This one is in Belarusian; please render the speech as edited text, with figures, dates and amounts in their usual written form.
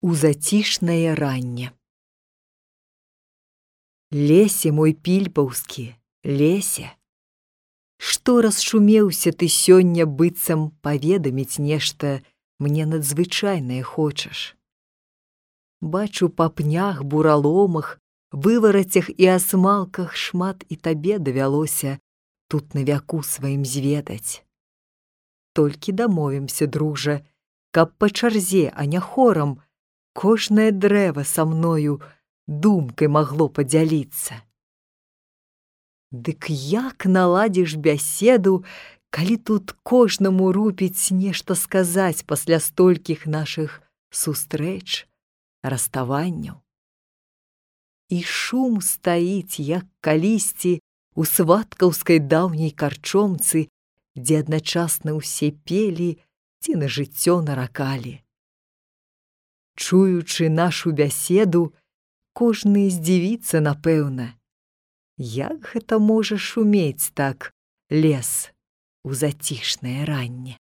У зацішнае ранне. Лесе мой пільпаўскі, лесе, што расшумеўся ты сёння, быццам паведаміць нешта мне надзвычайнае хочаш. Бачу па пнях, бураломах, выварацях і асмалках шмат і табе давялося тут на вяку сваім зведаць. Толькі дамовімся, дружа, каб па чарзе, а не хорам, кожнае дрэва са мною думкай магло падзяліцца. Дык як наладзіш бяседу, калі тут кожнаму рупіць нешта сказаць пасля столькіх нашых сустрэч, раставанняў? І шум стаіць, як калісьці у сваткаўскай даўняй карчомцы, дзе адначасна ўсе пелі ці на жыццё наракалі. Чуючы нашу бяседу, кожны здзівіцца, напэўна, як гэта можа шумець так лес у зацішнае ранне.